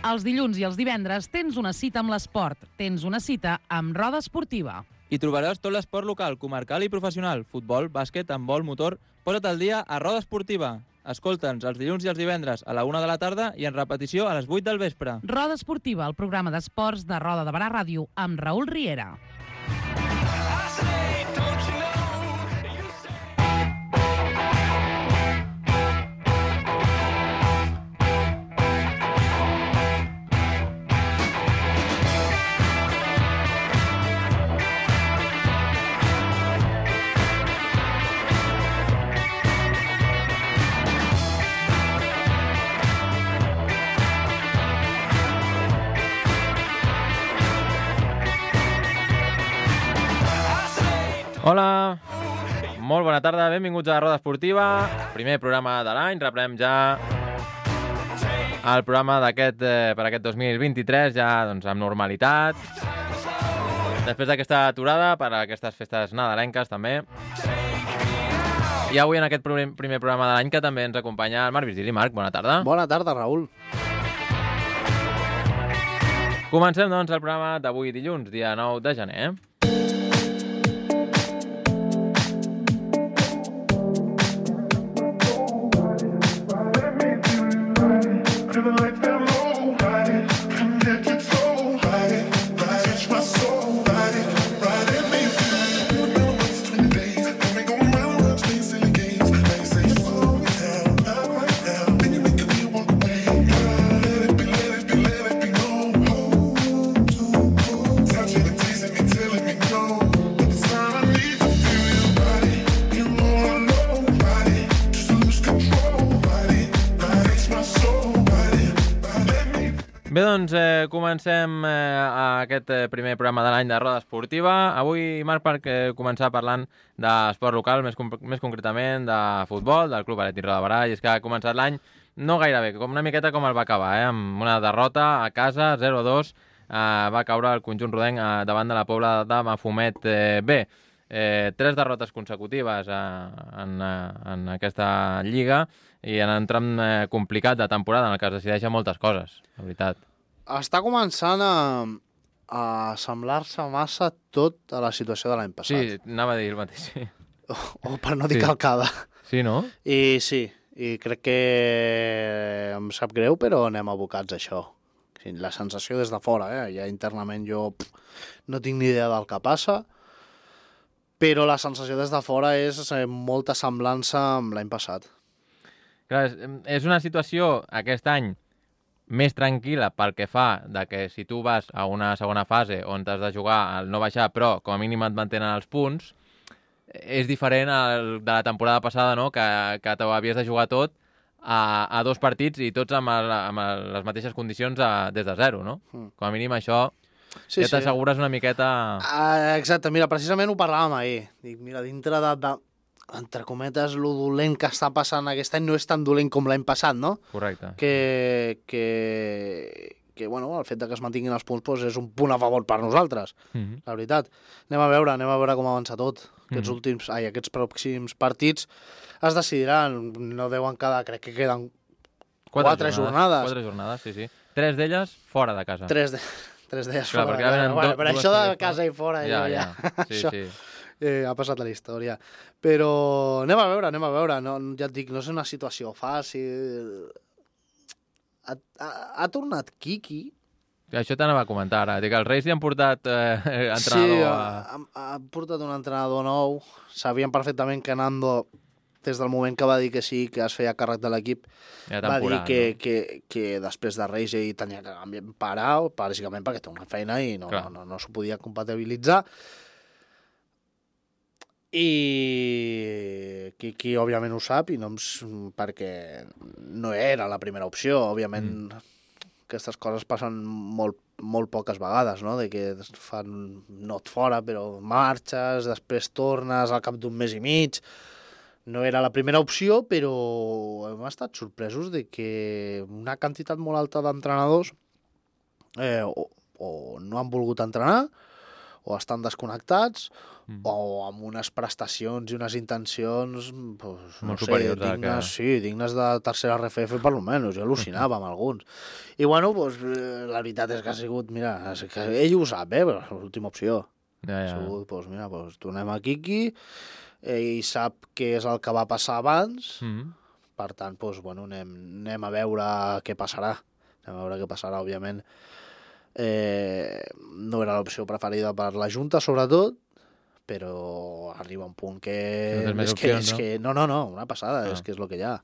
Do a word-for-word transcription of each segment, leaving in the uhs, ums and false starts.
Els dilluns i els divendres tens una cita amb l'esport. Tens una cita amb Roda Esportiva. Hi trobaràs tot l'esport local, comarcal i professional. Futbol, bàsquet, handbol, motor... Posa't al dia a Roda Esportiva. Escolta'ns els dilluns i els divendres a la una de la tarda i en repetició a les vuit del vespre. Roda Esportiva, el programa d'esports de Roda de Barà Ràdio, amb Raül Riera. Hola, molt bona tarda, benvinguts a Roda Esportiva, primer programa de l'any, reprenem ja el programa d'aquest eh, per aquest dos mil vint-i-tres, ja doncs, amb normalitat, després d'aquesta aturada per a aquestes festes nadalenques també, i avui en aquest primer programa de l'any que també ens acompanya el Marc Virgili. Marc, bona tarda. Bona tarda, Raül. Comencem doncs el programa d'avui dilluns, dia nou de gener. Bé, doncs, eh, comencem eh, aquest eh, primer programa de l'any de Roda Esportiva. Avui, Marc, per eh, començar parlant d'esport local, més, més concretament de futbol, del Club Atlètic Roda de Barà, i és que ha començat l'any no gaire bé, com una miqueta com el va acabar, eh, amb una derrota a casa, zero a dos, eh, va caure el conjunt rodenc eh, davant de la Pobla de Mafumet eh, B. Eh, tres derrotes consecutives eh, en, eh, en aquesta lliga i en un tram eh, complicat de temporada en el que es decideixen moltes coses, la veritat. Està començant a, a semblar-se massa tot a la situació de l'any passat. Sí, anava a dir el mateix, sí. O, o per no dir Sí. calcada. Sí, no? I sí, i crec que em sap greu, però anem abocats a això. Sí, la sensació des de fora, eh? Ja internament jo pff, no tinc ni idea del que passa, però la sensació des de fora és eh, molta semblança amb l'any passat. Clar, és, és una situació aquest any més tranquil·la pel que fa de que si tu vas a una segona fase on t'has de jugar al no baixar, però com a mínim et mantenen els punts, és diferent al, de la temporada passada, no? que, que t'ho havies de jugar tot a, a dos partits i tots amb, el, amb el, les mateixes condicions a, des de zero, no? Mm. Com a mínim això Sí, ja t'assegures una miqueta... Ah, exacte, mira, precisament ho parlàvem ahir. Dic, mira, dintre de, de, entre cometes, lo dolent que està passant aquest any no és tan dolent com l'any passat, no? Correcte. Que, que, que bueno, el fet de que es mantinguin els punts doncs, és un punt a favor per nosaltres, Mm-hmm. la veritat. Anem a veure, anem a veure com avança tot. Aquests Mhm. últims, ai, aquests pròxims partits es decidiran, no deuen quedar, crec que queden quatre jornades. Quatre jornades, sí, sí. Tres d'elles fora de casa. tres de... Tres d'elles Clar, fora. perquè ara venen Bueno, do- però dues això de fora. casa i fora, Ja, jo ja... ja. Sí, això, sí. eh, ha passat a la història. Però anem a veure, anem a veure. No, ja et dic, no és una situació fàcil. Ha, ha, ha tornat Kiki. Això t'anava a comentar ara. Dic, els Reis li han portat eh, entrenador Sí, a... ha, ha, ha portat un entrenador nou. Sabien perfectament que Nando, des del moment que va dir que sí, que es feia càrrec de l'equip, Ja va dir temporada, que, no? que, que després de Reis ell tenia que canviar- parar, bàsicament perquè té una feina i no, Clar. no, no, no s'ho podia compatibilitzar. I Kiki, òbviament, ho sap, i no em... s- perquè no era la primera opció. Òbviament, mm. aquestes coses passen molt, molt poques vegades, no? De que es fan no et fora, però marxes, després tornes al cap d'un mes i mig. No era la primera opció, però hem estat sorpresos de que una quantitat molt alta d'entrenadors eh, o, o no han volgut entrenar o estan desconnectats Mm. o amb unes prestacions i unes intencions pues, no Molt sé, superiors a dignes, que- sí, dignes de tercera R F F per almenys, jo al·lucinava amb alguns. I bueno, pues, eh, la veritat és que ha sigut, mira, és que ell ho sap, eh, però és l'última opció. Ja, Ha ja. sigut, pues, mira, pues, tornem a Quiqui, ell sap què és el que va passar abans, Mm. per tant, pues, bueno, anem, anem a veure què passarà. Anem a veure què passarà, òbviament. Eh, no era l'opció preferida per la Junta, sobretot, però arriba un punt que... Que no tens més és que, opcions, és no? que, no, no, no, una passada, Ah. és que és el que hi ha.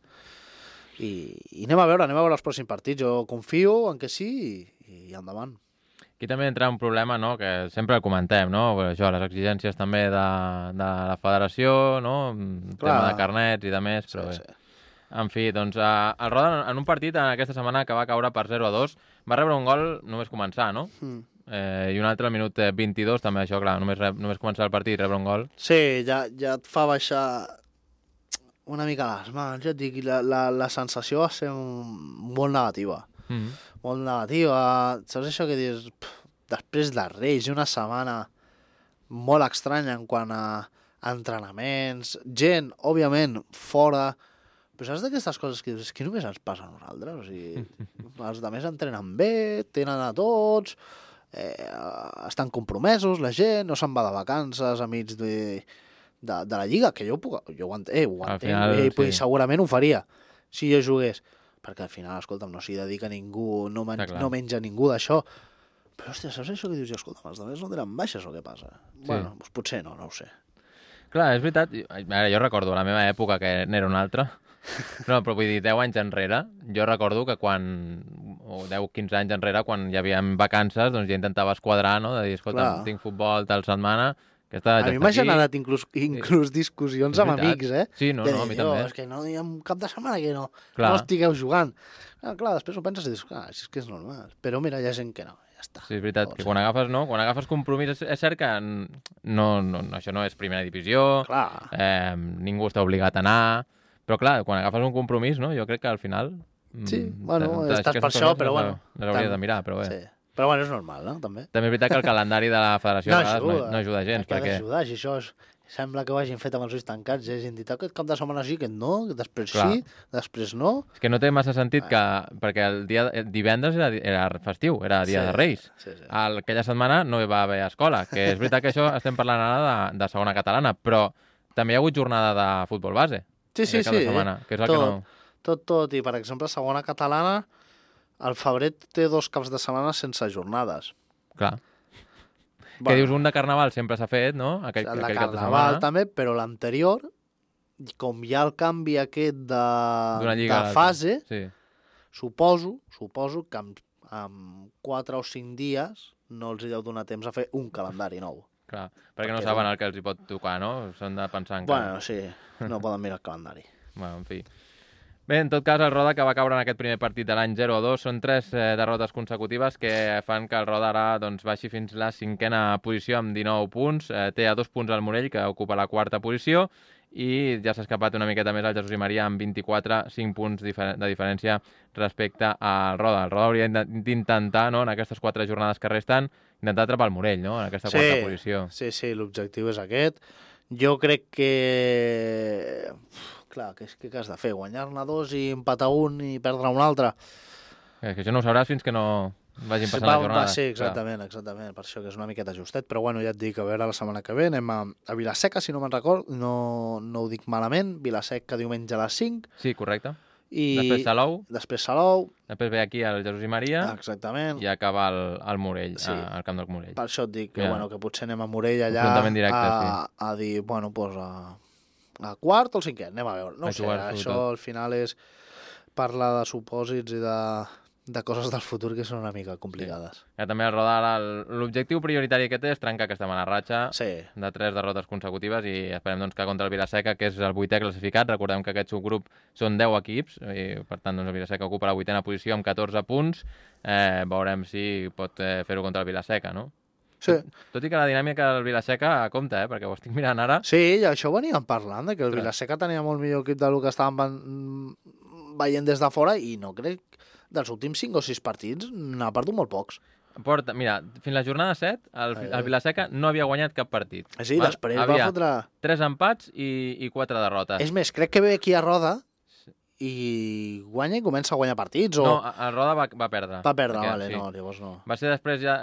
I, I anem a veure, anem a veure els pròxims partits. Jo confio en que sí i, i endavant. Aquí també entra un problema, no?, que sempre el comentem, no?, això, les exigències també de, de la federació, no?, el Clar. tema de carnets i de més, però bé. Sí, sí. En fi, doncs eh, el Roda en un partit en aquesta setmana que va caure per zero a dos va rebre un gol només començar, no? Mm. Eh, I un altre al minut eh, vint-i-dos també, això, clar, només, rep, només començar el partit i rebre un gol. Sí, ja, ja et fa baixar una mica les mans, ja et dic, i la, la, la sensació va ser un, molt negativa. Mm. Molt negativa. Saps això que dius, pff, després de Reis, i una setmana molt estranya en quant a entrenaments, gent, òbviament, fora, però saps d'aquestes coses que dius, és que només ens passa a nosaltres, o sigui, els altres entrenen bé, tenen a tots, eh, estan compromesos, la gent, no se'n va de vacances a mig de, de, de la Lliga, que jo, puc, jo ho entenc, eh, ho Al entenc, final, eh, sí. segurament ho faria, si jo jugués, perquè al final, escolta'm, no s'hi dedica ningú, no, men Està clar. no menja ningú d'això, però, hòstia, saps això que dius? Escolta'm, els altres no tenen baixes o què passa? Sí. Bueno, doncs potser no, no ho sé. Clar, és veritat, ara jo recordo la meva època que n'era una altra, no, però vull dir, deu anys enrere, jo recordo que quan, o deu a quinze anys enrere, quan hi havia vacances, doncs ja intentava esquadrar, no?, de dir, escolta, Clar. tinc futbol tal setmana, aquesta A ja mi està m'ha aquí. generat inclús, inclús discussions És amb veritat. amics, eh? Sí, no, de no, a dir, mi "Oh, també. és que no hi ha un cap de setmana que no, Clar. no estigueu jugant. Ah, clar, després ho penses i dius, clar, si és que és normal. Però mira, hi ha gent que no, ja està. Sí, és veritat, No ho que sé. quan agafes, no? Quan agafes compromís, és, és cert que no, no, no, això no és primera divisió, Clar. eh, ningú està obligat a anar, però clar, quan agafes un compromís, no? Jo crec que al final... mm, Sí, bueno, te- estàs aquestes per això, coses però les- bueno, Les hauries tam- de mirar, però bé. Sí. Però bueno, és normal, no? També. També és veritat que el calendari de la federació a vegades no, no ajuda gens, Que ha perquè... d'ajudar, si això és... Sembla que ho hagin fet amb els ulls tancats, ja hagin dit, aquest cap de setmana sí, aquest no, després Clar. sí, després no. És que no té massa sentit que... Perquè el dia el divendres era, era festiu, era dia Sí, de Reis. Sí, sí. El, aquella setmana no hi va haver escola, que és veritat que això estem parlant ara de, de segona catalana, però també hi ha hagut jornada de futbol base. Sí, sí, aquest cap de sí. setmana, que és el tot, que no... tot, tot. I, per exemple, segona catalana, el febrer té dos caps de setmana sense jornades. Clar. Que dius, un de Carnaval sempre s'ha fet, no? Aquell, el de aquell cap de Carnaval setmana. també, però l'anterior, com hi ha el canvi aquest de, D'una lliga a de l'altra. fase, Sí. suposo, suposo que amb, amb quatre o cinc dies no els hi deu donar temps a fer un calendari nou. Clar, perquè no Perquè saben no. el que els hi pot tocar, no? S'han de pensar encara. Bueno, sí, no poden mirar el calendari. Bueno, en fi. Bé, en tot cas, el Roda que va caure en aquest primer partit de l'any zero a dos són tres eh, derrotes consecutives que fan que el Roda ara doncs, baixi fins la cinquena posició amb dinou punts. Eh, té a dos punts el Morell, que ocupa la quarta posició, i ja s'ha escapat una miqueta més el Jesús i Maria amb vint-i-quatre, cinc punts difer de diferència respecte al Roda. El Roda hauria d'intentar, no, en aquestes quatre jornades que resten, intentar atrapar el Morell, no?, en aquesta Sí, quarta posició. sí, sí, l'objectiu és aquest. Jo crec que... Uf, clar, què, què has de fer? Guanyar-ne dos i empatar un i perdre un altre? És que això no ho sabràs fins que no vagin passant va, la jornada. Va, sí, exactament, exactament, per això que és una miqueta justet, però bueno, ja et dic, a veure la setmana que ve anem a, a Vilaseca, si no me'n record, no, no ho dic malament, Vilaseca diumenge a les cinc, Sí, correcte. i Després Salou, després Salou, després ve aquí el Jesús i Maria exactament, i acaba el, el Morell, Sí. a- al camp del Morell. per això et dic que, Ja. bueno, que potser anem a Morell allà Enfrontament directe, a, a dir, bueno, doncs a, a quart o al cinquè, anem a veure, no A ho sé, jugar-s'ho això tot. al final és parlar de supòsits i de, de coses del futur que són una mica complicades. Ja també el Roda, ara, el- l'objectiu prioritari que té és trencar aquesta mala ratxa Sí, de tres derrotes consecutives i esperem doncs, que contra el Vilaseca, que és el vuitè classificat, recordem que aquest subgrup són deu equips, i per tant doncs, el Vilaseca ocupa la vuitena posició amb catorze punts, eh, veurem si pot eh, fer-ho contra el Vilaseca, no? sí. Tot i que la dinàmica del Vilaseca compta, eh, perquè ho estic mirant ara. Sí, i això veníem parlant, de que el Ostres. Vilaseca tenia molt millor equip del que estàvem ven- veient des de fora i no crec dels últims cinc o sis partits n'ha perdut molt pocs. Porta, mira, fins la jornada set, el, el Vilaseca no havia guanyat cap partit. Sí, val? Després havia va fotre... tres empats i, i quatre derrotes. És més, crec que ve aquí a Roda i guanya i comença a guanyar partits, o... No, el Roda va, va perdre. Va perdre, Perquè, vale, sí. no, llavors no. Va ser després ja,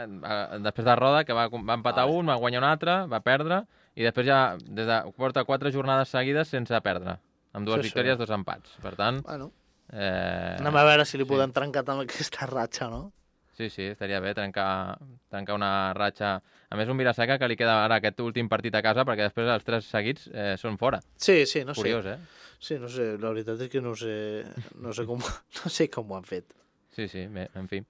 després de Roda, que va, va empatar vale. un, va guanyar un altre, va perdre, i després ja des de, porta quatre jornades seguides sense perdre, amb dues sí, victòries, sí. dos empats. Per tant... Bueno. Eh... Anem a veure si li sí. podem trencar amb aquesta ratxa, no? Sí, sí, estaria bé trencar, trencar una ratxa. A més, un Vilaseca que li queda ara aquest últim partit a casa, perquè després els tres seguits eh, són fora. Sí, sí, no Curiós, sé. eh? Sí, no sé, la veritat és que no sé, no sé, com, no sé com ho han fet. Sí, sí, bé, en fi.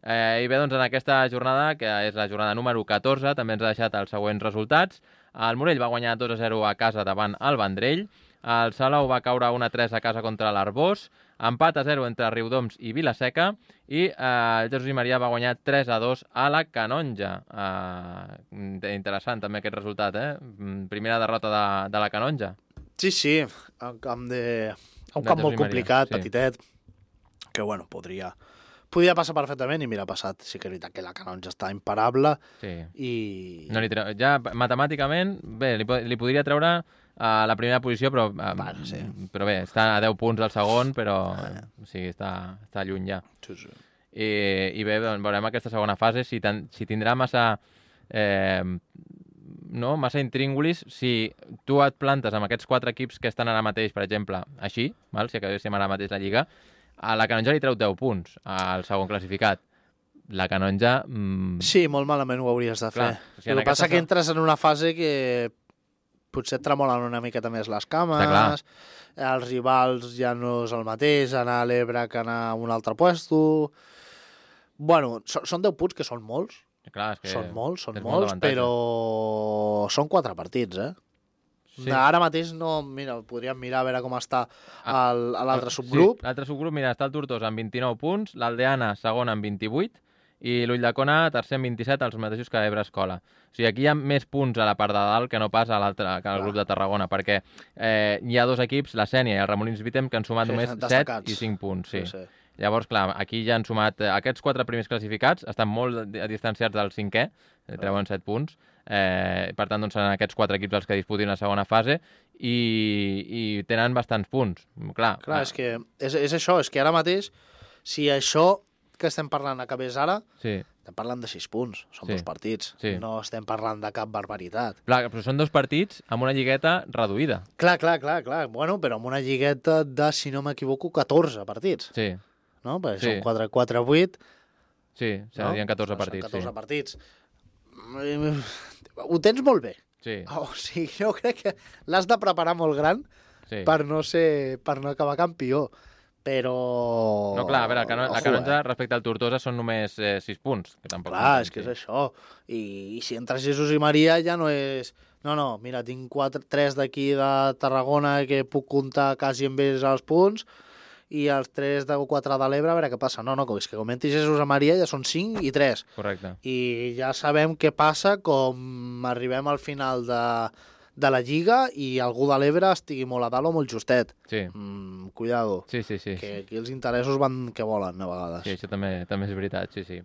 Eh, I bé, doncs en aquesta jornada, que és la jornada número catorze, també ens ha deixat els següents resultats. El Morell va guanyar dos a zero a casa davant el Vendrell. El Salou va caure un a tres a casa contra l'Arbós. Empat a zero entre Riudoms i Vilaseca. I eh, el Jesús i Maria va guanyar tres a dos a la Canonja. Eh, interessant també aquest resultat, eh? Primera derrota de, de la Canonja. Sí, sí, un camp, de... un de camp molt complicat, sí. petitet, que bueno, podria... Podia passar perfectament i mira, ha passat. Sí que és veritat que la Canonja està imparable sí. i... No li treu... Ja matemàticament, bé, li, li podria treure a la primera posició, però, bueno, sí. però bé, està a deu punts al segon, però ah. o sigui, està, està lluny ja. Sí, sí. I, i bé, doncs, veurem aquesta segona fase, si, ten, si tindrà massa... Eh, no, massa intríngulis, si tu et plantes amb aquests quatre equips que estan ara mateix, per exemple, així, val? Si acabéssim ara mateix la Lliga, a la Canonja li treu deu punts al segon classificat. La Canonja... Mmm... Sí, molt malament ho hauries de fer. Clar, o sigui, el que passa és que entres en una fase que potser et tremolen una miqueta més les cames, els rivals ja no és el mateix, anar a l'Ebre que anar a un altre puesto... Bueno, són deu punts que són molts, clar, és que són molts, són molt molts, però són quatre partits, eh? Sí. Ara mateix no, mira, podríem mirar a veure com està l'altre subgrup. Sí, l'altre subgrup, mira, està el Tortosa amb vint-i-nou punts, l'Aldeana segon amb vint-i-vuit i l'Ulldecona tercer amb vint-i-set, els mateixos que Ebre Escola. O sigui, aquí hi ha més punts a la part de dalt que no pas a l'altre, que al grup de Tarragona, perquè eh, hi ha dos equips, la Sènia i el Ramon Vitem, que han sumat sí, només set i cinc punts. Sí. Sí, sí. Llavors, clar, aquí ja han sumat... Eh, aquests quatre primers classificats estan molt distanciats del cinquè, eh, treuen set punts. Eh, per tant, doncs, seran aquests quatre equips els que disputin la segona fase i, i tenen bastants punts. Clar, clar és que és, és això, és que ara mateix, si això que estem parlant acabés ara, sí. estem parlant de sis punts, són sí. dos partits, sí. no estem parlant de cap barbaritat. Clar, però són dos partits amb una lligueta reduïda. Clar, clar, clar, clar. Bueno, però amb una lligueta de, si no m'equivoco, catorze partits. Sí. No? Perquè sí. són quatre, quatre, vuit... Sí, serien no? catorze partits. catorze sí. partits. Ho tens molt bé. Sí. O sigui, jo crec que l'has de preparar molt gran sí. per no ser, per no acabar campió. Però... No, clar, a veure, la, Cano la Canonja eh? respecte al Tortosa són només eh, sis punts. Que tampoc clar, és que és això. I, I si entres Jesús i Maria ja no és... No, no, mira, tinc quatre, tres d'aquí de Tarragona que puc comptar quasi amb ells els punts i els tres de quatre de l'Ebre, a veure què passa. No, no, és que comenti Jesús a Maria ja són cinc i tres. Correcte. I ja sabem què passa com arribem al final de, de la Lliga i algú de l'Ebre estigui molt a dalt o molt justet. Sí. Mm, cuidado. Sí, sí, sí. Que aquí els interessos van que volen, a vegades. Sí, això també, també és veritat, sí, sí.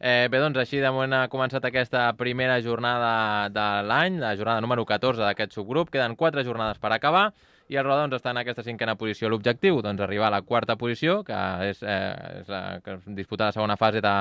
Eh, bé, doncs així de moment ha començat aquesta primera jornada de l'any, la jornada número catorze d'aquest subgrup. Queden quatre jornades per acabar. I el Roda doncs, està en aquesta cinquena posició. L'objectiu, doncs, arribar a la quarta posició, que és, eh, és la, que disputar la segona fase de,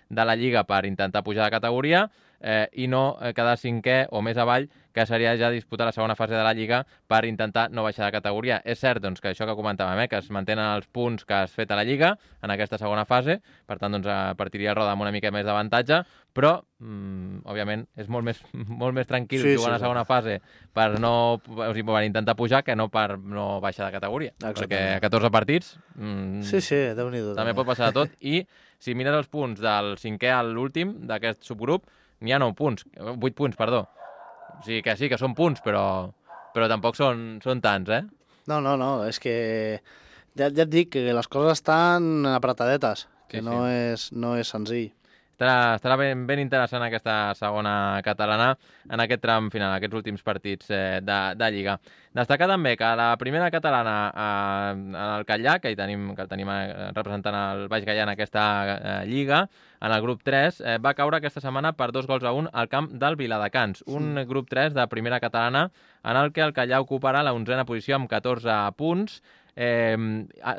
de la Lliga per intentar pujar de categoria, eh, i no eh, quedar cinquè o més avall, que seria ja disputar la segona fase de la Lliga per intentar no baixar de categoria. És cert doncs, que això que comentàvem, eh, que es mantenen els punts que has fet a la Lliga en aquesta segona fase, per tant doncs, partiria el Roda amb una mica més d'avantatge, però, mm, òbviament, és molt més, molt més tranquil sí, jugar sí, a la segona sí. fase per, no, o sigui, per intentar pujar que no per no baixar de categoria. Exactament. Perquè a catorze partits mm, sí, sí, Déu-n'hi-do, també pot passar de tot. I si mires els punts del cinquè a l'últim d'aquest subgrup, n'hi ha nou punts, vuit punts, perdó. O sigui que sí, que són punts, però, però tampoc són, són tants, eh? No, no, no, és que ja, ja et dic que les coses estan apretadetes, que sí, no, sí. És, no és senzill. Estarà, estarà ben, ben interessant aquesta segona catalana en aquest tram final, aquests últims partits eh, de, de Lliga. Destacar també que la primera catalana eh, en el Catllà, que hi tenim, que el tenim eh, representant el Baix Gaià en aquesta eh, Lliga, en el grup tres, eh, va caure aquesta setmana per dos gols a un al camp del Viladecans. Un mm. grup tres de primera catalana en el que el Catllà ocuparà la onzena posició amb catorze punts. Eh,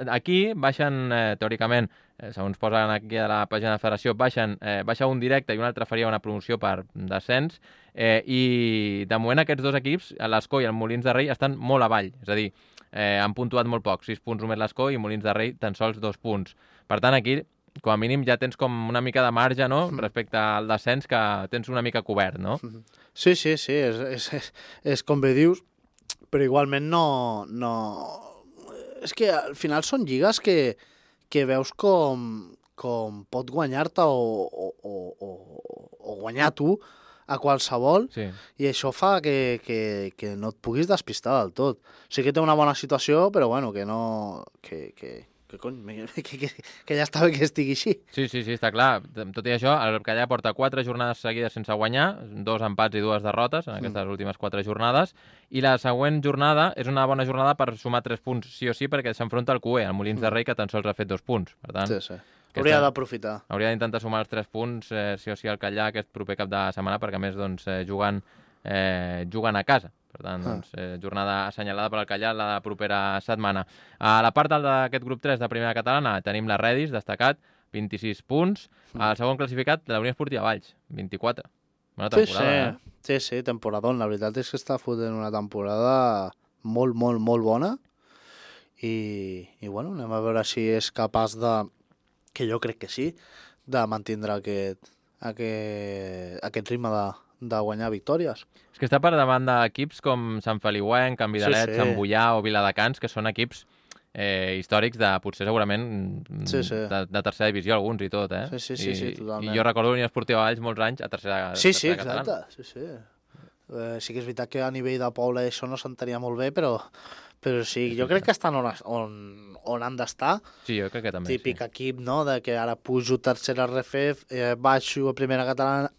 aquí baixen, eh, teòricament, eh, segons posen aquí a la pàgina de la federació, baixen, eh, baixa un directe i un altre faria una promoció per descens, eh, i de moment aquests dos equips, l'Escó i el Molins de Rei, estan molt avall, és a dir, eh, han puntuat molt poc, sis punts només l'Escó i Molins de Rei tan sols dos punts. Per tant, aquí, com a mínim, ja tens com una mica de marge, no?, respecte al descens, que tens una mica cobert, no? Sí, sí, sí, és, és, és, és com bé dius, però igualment no... no... És que al final són lligues que, que veus com, com pot guanyar-te o, o, o, o guanyar tu a qualsevol, sí. I això fa que, que, que no et puguis despistar del tot. Sí que té una bona situació, però bueno, que no... Que, que, que, cony, que, que, que ja està bé que estigui així. Sí, sí, sí, està clar. Tot i això, el Catllà porta quatre jornades seguides sense guanyar, dos empats i dues derrotes en aquestes mm. últimes quatre jornades, i la següent jornada és una bona jornada per sumar tres punts, sí o sí, perquè s'enfronta al Q E, al Molins mm. de Rei, que tan sols ha fet dos punts. Per tant, sí, sí. Hauria d'aprofitar. Hauria d'intentar sumar els tres punts, eh, sí o sí, al Catllà aquest proper cap de setmana, perquè a més doncs, eh, jugant, eh, jugant a casa. Per tant, doncs, eh, jornada assenyalada per al Catllà la propera setmana. A la part d'aquest grup tres de primera catalana tenim la Redis, destacat, vint-i-sis punts. El segon classificat, la Unió Esportiva Valls, vint-i-quatre. Bona temporada, sí, sí. eh? Sí, sí, temporadón. La veritat és que està fotent una temporada molt, molt, molt bona. I, i bueno, anem a veure si és capaç de, que jo crec que sí, de mantindre aquest, aquest, aquest ritme de, de guanyar victòries. És que està per davant d'equips com Sant Feliuenc, Can Vidalet, sí, sí. Sant Boià o Viladecans, que són equips eh, històrics de, potser segurament, sí, sí. De, de tercera divisió, alguns i tot, eh? Sí, sí, sí, I, sí, totalment. I jo recordo Unió Esportiva Valls molts anys a tercera, sí, tercera sí, catalana. Exacte, sí, sí. Eh, sí que és veritat que a nivell de poble això no s'entenia molt bé, però, però sí, jo crec que estan on, on, on han d'estar. Sí, jo crec que també, típic sí. Equip, no?, de que ara pujo tercera R F F, eh, baixo a primera catalana,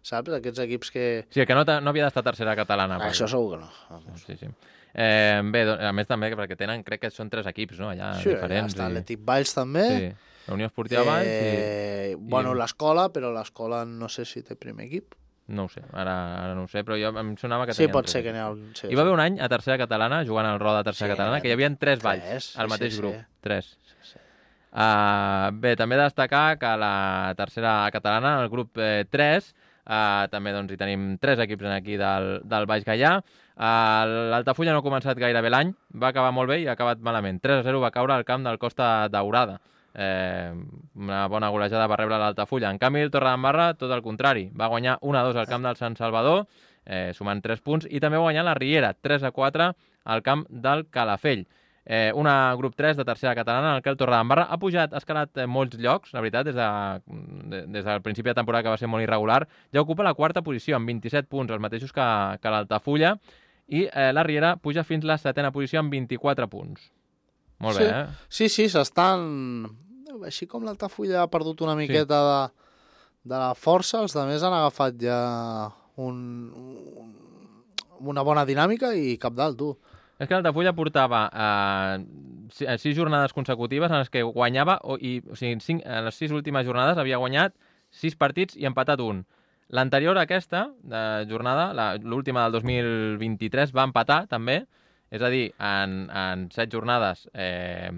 saps? Aquests equips que... Sí, que no, no havia d'estar tercera catalana. Ah, això segur que no. Vamos. Sí, sí. Eh, bé, a més també, perquè tenen, crec que són tres equips, no?, allà sí, diferents. Sí, està i... l'Atlètic Valls també. Sí, la Unió Esportiva eh, Valls i... Bueno, i... l'escola, però l'escola no sé si té primer equip. No ho sé, ara, ara no ho sé, però jo em sonava que sí, tenien pot tres ser que n'hi ha... Sí, hi va haver un any a tercera catalana, jugant al Roda a tercera sí, catalana, que hi havia tres valls tres, al mateix sí, grup. Sí. Tres. Sí, sí. Uh, bé, també destacar que la tercera catalana, el grup eh, tres, uh, també doncs, hi tenim tres equips aquí del, del Baix Gaià. Uh, L'Altafulla no ha començat gaire bé l'any, va acabar molt bé i ha acabat malament. tres a zero va caure al camp del Costa Daurada. Eh, una bona golejada va rebre l'Altafulla. En canvi, el Torredembarra, tot el contrari, va guanyar un a dos al camp del Sant Salvador, eh, sumant tres punts, i també va guanyar la Riera, tres a quatre al camp del Calafell. Eh, una grup tres de tercera catalana en el que el Torredembarra ha pujat, ha escalat eh, molts llocs, la veritat, des, de, de, des del principi de temporada, que va ser molt irregular. Ja ocupa la quarta posició, amb vint-i-set punts, els mateixos que, que l'Altafulla, i eh, la Riera puja fins a la setena posició amb vint-i-quatre punts. Molt sí, bé, eh? Sí, sí, s'estan... Així com l'Altafulla ha perdut una miqueta sí. de, de la força, els altres han agafat ja un, un, una bona dinàmica i cap dalt, tu. És que l'Altafulla portava eh, sis jornades consecutives en les que guanyava, o, i, o sigui, cinc, en les sis últimes jornades havia guanyat sis partits i empatat un. L'anterior a aquesta de jornada, l'última del dos mil vint-i-tres, va empatar també, és a dir, en, en set jornades, eh,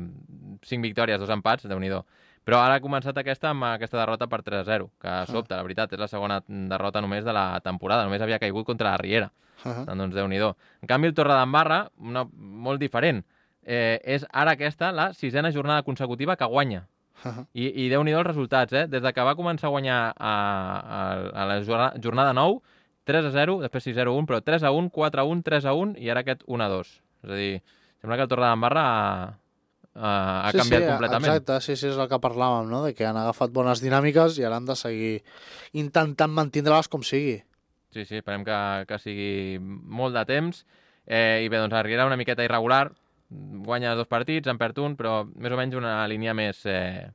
cinc victòries, dos empats, Déu-n'hi-do. Però ara ha començat aquesta amb aquesta derrota per tres a zero, que sobta, la veritat, és la segona derrota només de la temporada, només havia caigut contra la Riera. Uh -huh. Doncs Déu-n'hi-do. En canvi, el Torredembarra, una, molt diferent, eh, és ara aquesta la sisena jornada consecutiva que guanya. Uh -huh. I, i Déu-n'hi-do els resultats, eh? Des de que va començar a guanyar a, a, a la jornada nou, tres a zero, després sis a zero un, però tres a un, quatre a un, tres a un i ara aquest un a dos. És a dir, sembla que el Torredembarra ha, ha, ha sí, canviat sí, completament. Exacte, sí, sí, és el que parlàvem, no? De que han agafat bones dinàmiques i ara han de seguir intentant mantindre-les com sigui. Sí, sí, esperem que, que sigui molt de temps. Eh, I bé, doncs la Riera una miqueta irregular, guanya dos partits, en perd un, però més o menys una línia més, eh,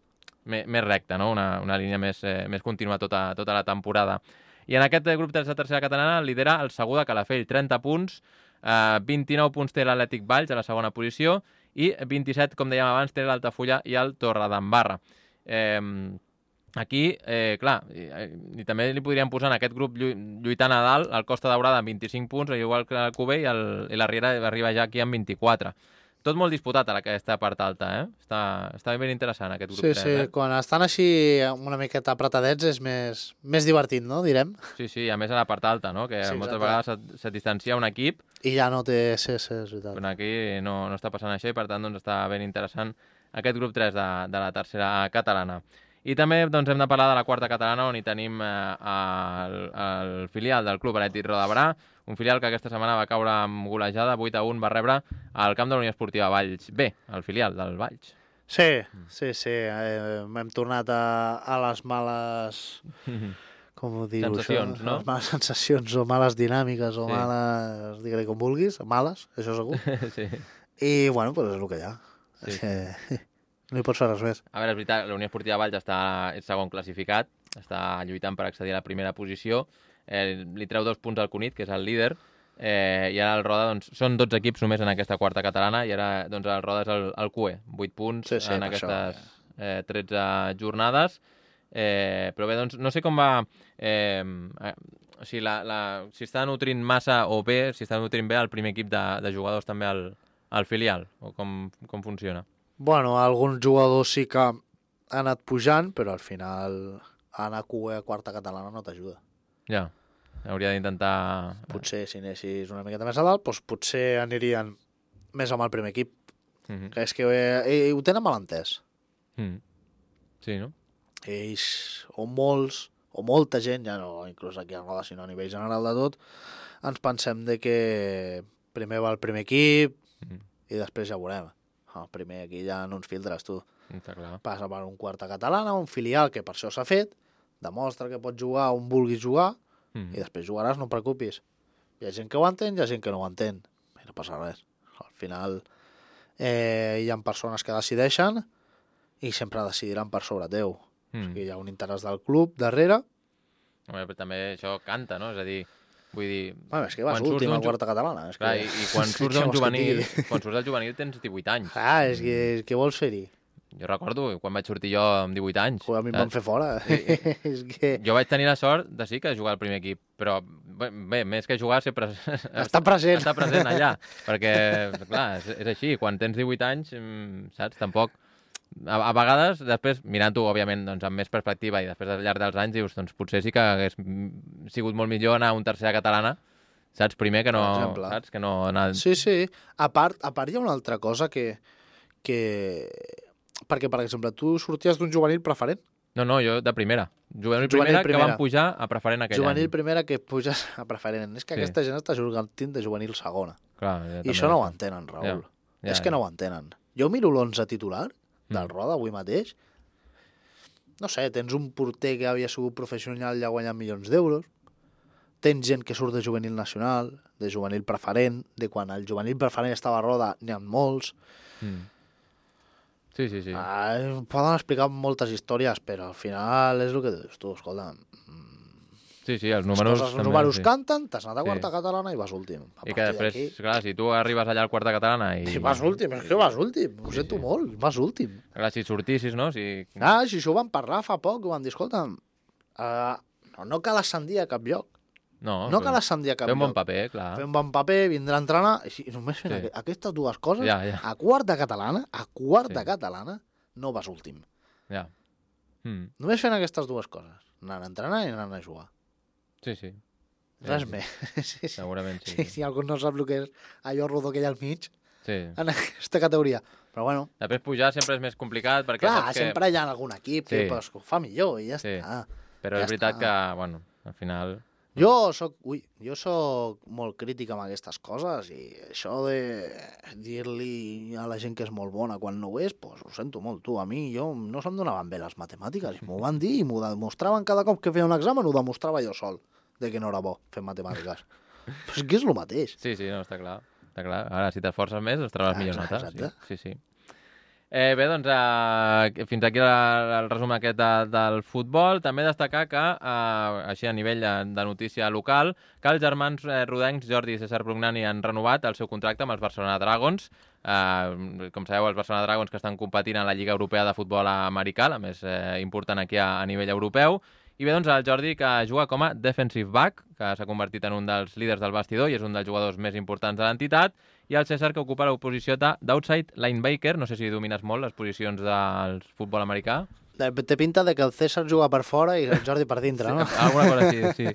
més, més recta, no? Una, una línia més, eh, més contínua tota, tota la temporada. I en aquest grup tres de tercera catalana lidera el Segur de Calafell, trenta punts, eh, vint-i-nou punts té l'Atlètic Valls a la segona posició i vint-i-set, com dèiem abans, té l'Altafulla i el Torredembarra. Eh, aquí, eh, clar, i, i també li podríem posar en aquest grup lluitant a dalt el Costa Daurada amb vint-i-cinc punts, igual que el Cuber, i, el, i la Riera arriba ja aquí amb vint-i-quatre. Tot molt disputat a aquesta part alta, eh? Està, està ben interessant aquest grup sí, tres, sí, eh? quan estan així una miqueta apretadets és més, més divertit, no?, direm. Sí, sí, a més a la part alta, no? Que sí, moltes exacte. vegades se't, se't distancia un equip. I ja no té... Sí, sí, és veritat. Però aquí no, no està passant això i, per tant, doncs, està ben interessant aquest grup tres de, de la tercera catalana. I també doncs, hem de parlar de la quarta catalana, on hi tenim eh, el, el filial del Club Atlètic Roda de Berà, un filial que aquesta setmana va caure amb golejada, vuit a un, va rebre al camp de la Unió Esportiva Valls B, el filial del Valls. Sí, sí, sí. Eh, hem tornat a, a les males... Com ho dius, sensacions, això? No? Les males sensacions o males dinàmiques o sí. males... Digue-li com vulguis, males, això segur. sí. I, bueno, doncs és el que hi ha. Sí. És que no hi pots fer res més. A veure, és veritat, la Unió Esportiva Valls està és segon classificat, està lluitant per accedir a la primera posició, eh, li treu dos punts al Cunit, que és el líder, eh, i ara el Roda, doncs, són dotze equips només en aquesta quarta catalana, i ara doncs, el Roda és el, el Q E, vuit punts sí, sí, en aquestes això, eh, tretze jornades, eh, però bé, doncs, no sé com va... Eh, eh, o sigui, la, la, si està nutrint massa o bé, si està nutrint bé el primer equip de, de jugadors també al, al filial, o com, com funciona? Bueno, alguns jugadors sí que han anat pujant, però al final anar a Q E a quarta catalana no t'ajuda. Ja, hauria d'intentar... Potser si anessis una miqueta més a dalt, doncs potser anirien més amb el primer equip. Mm-hmm. Que és que eh, ho tenen mal entès. Mm. Sí, no? Ells, o molts, o molta gent, ja no inclús aquí a Roda, sinó a nivell general de tot, ens pensem de que primer va el primer equip mm. i després ja veurem. El primer aquí ja no ens filtres, tu. Està clar. Passa per un quarta catalana, un filial, que per això s'ha fet, demostra que pots jugar on vulguis jugar, mm. i després jugaràs, no et preocupis. Hi ha gent que ho entén, hi ha gent que no ho entén. I no passa res. Al final eh, hi ha persones que decideixen i sempre decidiran per sobre teu. Mm. O sigui, hi ha un interès del club darrere. Home, però també això canta, no? És a dir, vull dir... Bueno, és que vas últim a quarta catalana. És clar, que... i, i quan surts d'un juvenil, quan surts del juvenil tens divuit anys. Ah, és que, és que vols fer-hi? Jo recordo quan vaig sortir jo amb divuit anys. Joder, a mi em van fer fora. Sí. és que... Jo vaig tenir la sort de sí que jugar al primer equip, però bé, bé més que jugar ser pres... Està present. Està present allà, perquè, clar, és, és així, quan tens divuit anys, saps, tampoc... A, a vegades, després, mirant-ho, òbviament, doncs, amb més perspectiva i després al llarg dels anys, dius, doncs potser sí que hagués sigut molt millor anar a un tercera catalana, saps, primer que no... Saps, que no anar... Sí, sí. A part, a part hi ha una altra cosa que... que... Perquè, per exemple, tu sorties d'un juvenil preferent. No, no, jo de primera. Juvenil, juvenil primera, primera que van pujar a preferent aquell juvenil any. Juvenil primera que puges a preferent. És que sí. Aquesta gent està jugant de juvenil segona. Clar, ja I això no ho entenen, Raül. Ja, ja, és que ja. no ho entenen. Jo miro l'onze titular del Roda avui mateix. No sé, tens un porter que havia sigut professional i ha guanyat milions d'euros. Tens gent que surt de juvenil nacional, de juvenil preferent, de quan el juvenil preferent estava a Roda, n'hi ha molts. Mm. Sí, sí, sí. Ah, poden explicar moltes històries, però al final és el que dius tu, escolta... Sí, sí, els números... Els també, números sí. canten, t'has anat a quarta sí. catalana i vas últim. I que després, clar, si tu arribes allà al quarta catalana i... I vas últim, és que vas últim, ho sí, sento sí. molt, vas últim. Clar, si sortissis, no? Si... Ah, si això ho vam parlar fa poc, ho vam dir, escolta, uh, no, no cal ascendir a cap lloc. No, no cal ascendir a cap lloc. Fer un bon paper, clar. Fer un bon paper, vindre a entrenar, i només fent sí. aquestes dues coses, ja, ja. a quarta catalana, a quarta sí. catalana, no vas últim. Ja. Mm. Només fent aquestes dues coses, anant a entrenar i anant a jugar. Sí, sí. Res sí, més. Sí. Sí. Segurament sí. sí. Si algú no sap el que és allò rodó que hi ha al mig, sí. en aquesta categoria. Però bueno... Després pujar sempre és més complicat perquè... Clar, saps sempre que... hi ha algun equip sí. que pues, ho fa millor i ja sí. està. Però ja és veritat està. que, bueno, al final... Jo soc, ui, jo soc molt crític amb aquestes coses i això de dir-li a la gent que és molt bona quan no ho és, pues, ho sento molt, tu. A mi jo no se'm donaven bé les matemàtiques, m'ho van dir i m'ho demostraven cada cop que feia un examen, ho demostrava jo sol, de que no era bo fer matemàtiques. Però és que és el mateix. Sí, sí, no, està clar. Està clar. Ara, si t'esforces més, es trobaràs millors notes. Exacte. Sí, sí. sí. Eh, bé, doncs, eh, fins aquí el, el resum aquest de, del futbol. També destacar que, eh, així a nivell de, de notícia local, que els germans eh, rodencs Jordi i César Brugnani han renovat el seu contracte amb els Barcelona Dragons. Eh, com sabeu, els Barcelona Dragons que estan competint a la Lliga Europea de Futbol Americà, la més eh, important aquí a, a nivell europeu. I bé, doncs, el Jordi, que juga com a defensive back, que s'ha convertit en un dels líders del vestidor i és un dels jugadors més importants de l'entitat, i el César, que ocupa la posició d'outside linebacker. No sé si domines molt les posicions del futbol americà. Té pinta de que el César juga per fora i el Jordi per dintre, no? Sí, alguna cosa així, sí.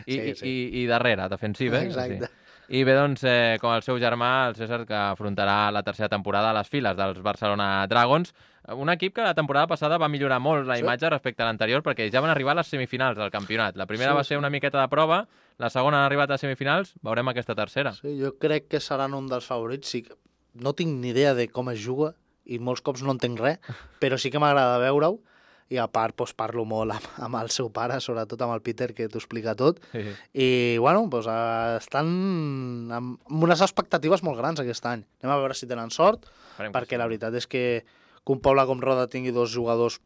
I, sí, sí. I, i darrere, defensiva. Eh? Exacte. Sí. I bé, doncs, eh, com el seu germà, el César, que afrontarà la tercera temporada a les files dels Barcelona Dragons, un equip que la temporada passada va millorar molt la imatge sí. respecte a l'anterior, perquè ja van arribar a les semifinals del campionat. La primera sí, va ser una miqueta de prova, la segona han arribat a semifinals, veurem aquesta tercera. Sí, jo crec que seran un dels favorits. Sí, no tinc ni idea de com es juga i molts cops no entenc res, però sí que m'agrada veure-ho. I a part doncs, parlo molt amb, amb el seu pare, sobretot amb el Peter, que t'ho explica tot. Sí. I, bueno, doncs, estan amb unes expectatives molt grans aquest any. Anem a veure si tenen sort, Farem perquè la veritat és que, que un poble com Roda tingui dos jugadors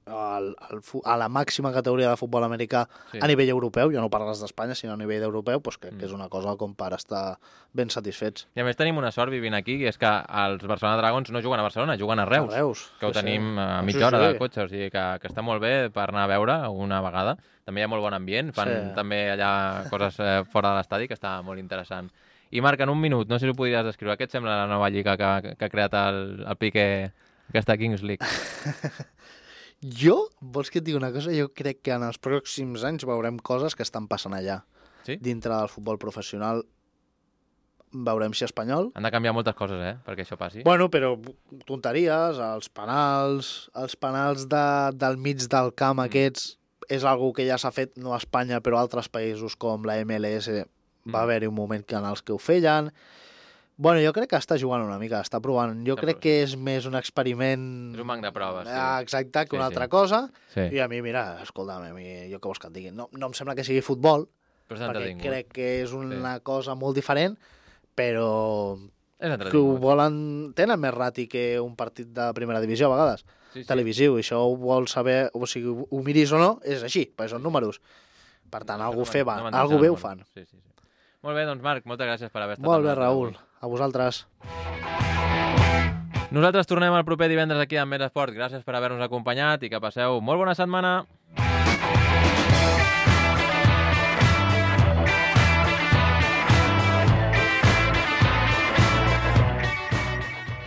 al, al, a la màxima categoria de futbol americà sí. a nivell europeu, ja no parles d'Espanya, sinó a nivell europeu, doncs crec mm. que és una cosa com per estar ben satisfets. I a més tenim una sort vivint aquí, i és que els Barcelona Dragons no juguen a Barcelona, juguen a Reus, a Reus que ho sí, tenim sí. a mitja hora sí, sí. del cotxe, o sigui que, que està molt bé per anar a veure una vegada. També hi ha molt bon ambient, fan sí. també allà coses eh, fora de l'estadi, que està molt interessant. I Marc, en un minut, no sé si ho podries descriure, què et sembla la nova lliga que, que ha creat el, el Piqué, aquesta Kings League? Jo, vols que et digui una cosa? Jo crec que en els pròxims anys veurem coses que estan passant allà. Sí? Dintre del futbol professional veurem si espanyol. Han de canviar moltes coses, eh?, perquè això passi. Bueno, però tonteries, els penals, els penals de, del mig del camp mm. aquests, és algo que ja s'ha fet, no a Espanya, però a altres països com la M L S mm. va haver-hi un moment en els que ho feien. Bueno, jo crec que està jugant una mica, està provant. Jo està crec provant. que és més un experiment... És un banc de proves, sí. Ah, exacte, que sí, una altra sí. cosa. Sí. I a mi, mira, escolta'm, a mi, jo què vols que et digui? No, no em sembla que sigui futbol, però perquè crec que és una sí. cosa molt diferent, però que ho volen... Tenen més rati que un partit de primera divisió, a vegades, sí, sí. televisiu, i això ho vols saber, o sigui, ho miris o no, és així, perquè són números. Per tant, no, algú, no, fer va, no algú bé ho fan. Sí, sí, sí. Molt bé, doncs Marc, moltes gràcies per haver estat Molt bé, Raül. A vosaltres. Nosaltres tornem el proper divendres aquí amb Més Esport. Gràcies per haver-nos acompanyat i que passeu molt bona setmana.